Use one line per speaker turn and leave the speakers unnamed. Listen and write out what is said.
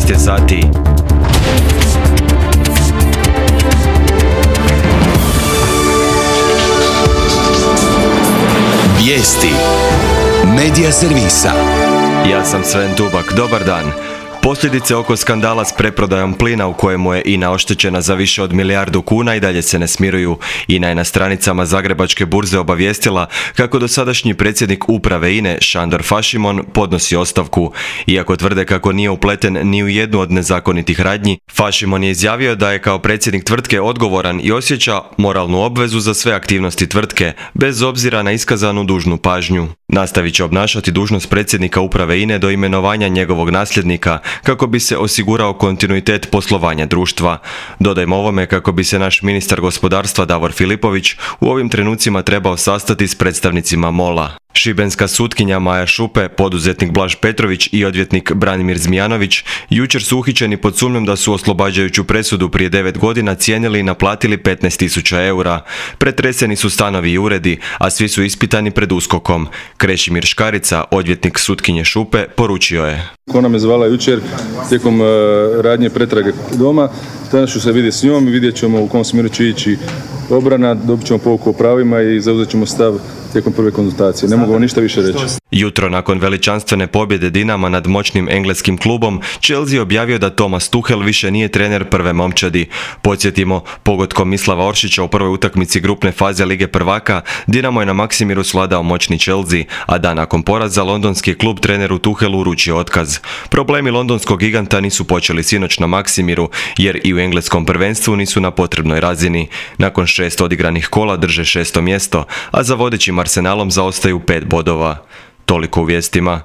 12 je sati.
Vijesti Medija servisa.
Ja sam Sven Tubak, dobar dan. Posljedice oko skandala s preprodajom plina u kojemu je INA oštećena za više od milijardu kuna i dalje se ne smiruju. INA je na stranicama Zagrebačke burze obavijestila kako dosadašnji predsjednik uprave INA Šandor Fašimon podnosi ostavku. Iako tvrde kako nije upleten ni u jednu od nezakonitih radnji, Fašimon je izjavio da je kao predsjednik tvrtke odgovoran i osjeća moralnu obvezu za sve aktivnosti tvrtke, bez obzira na iskazanu dužnu pažnju. Nastavit će obnašati dužnost predsjednika uprave INA do imenovanja njegovog nasljednika, kako bi se osigurao kontinuitet poslovanja društva. Dodajmo ovome kako bi se naš ministar gospodarstva Davor Filipović u ovim trenucima trebao sastati s predstavnicima MOL-a. Šibenska sutkinja Maja Šupe, poduzetnik Blaž Petrović i odvjetnik Branimir Zmijanović jučer su uhićeni pod sumnjom da su oslobađajuću presudu prije 9 godina cijenili i naplatili 15.000 eura. Pretreseni su stanovi i uredi, a svi su ispitani pred USKOK-om. Krešimir Škarica, odvjetnik sutkinje Šupe, poručio je:
Ona me zvala jučer tijekom radnje pretrage doma. Danas ću se vidjeti s njom i vidjet ćemo u kom smjeru će ići obrana, dobit ćemo pouku o pravima i zauzet ćemo stav tijekom prve konzultacije. Ne mogu vam ništa više reći.
Jutro nakon veličanstvene pobjede Dinama nad moćnim engleskim klubom, Chelsea objavio da Thomas Tuchel više nije trener prve momčadi. Podsjetimo, pogodkom Mislava Oršića u prvoj utakmici grupne faze Lige prvaka, Dinamo je na Maksimiru svladao moćni Chelsea, a dan nakon poraza londonski klub treneru Tuchelu uručio otkaz. Problemi londonskog giganta nisu počeli sinoć na Maksimiru, jer i u engleskom prvenstvu nisu na potrebnoj razini. Nakon 6 odigranih kola drže 6. mjesto, a za vodećim Arsenalom zaostaju 5 bodova. Toliko u vijestima.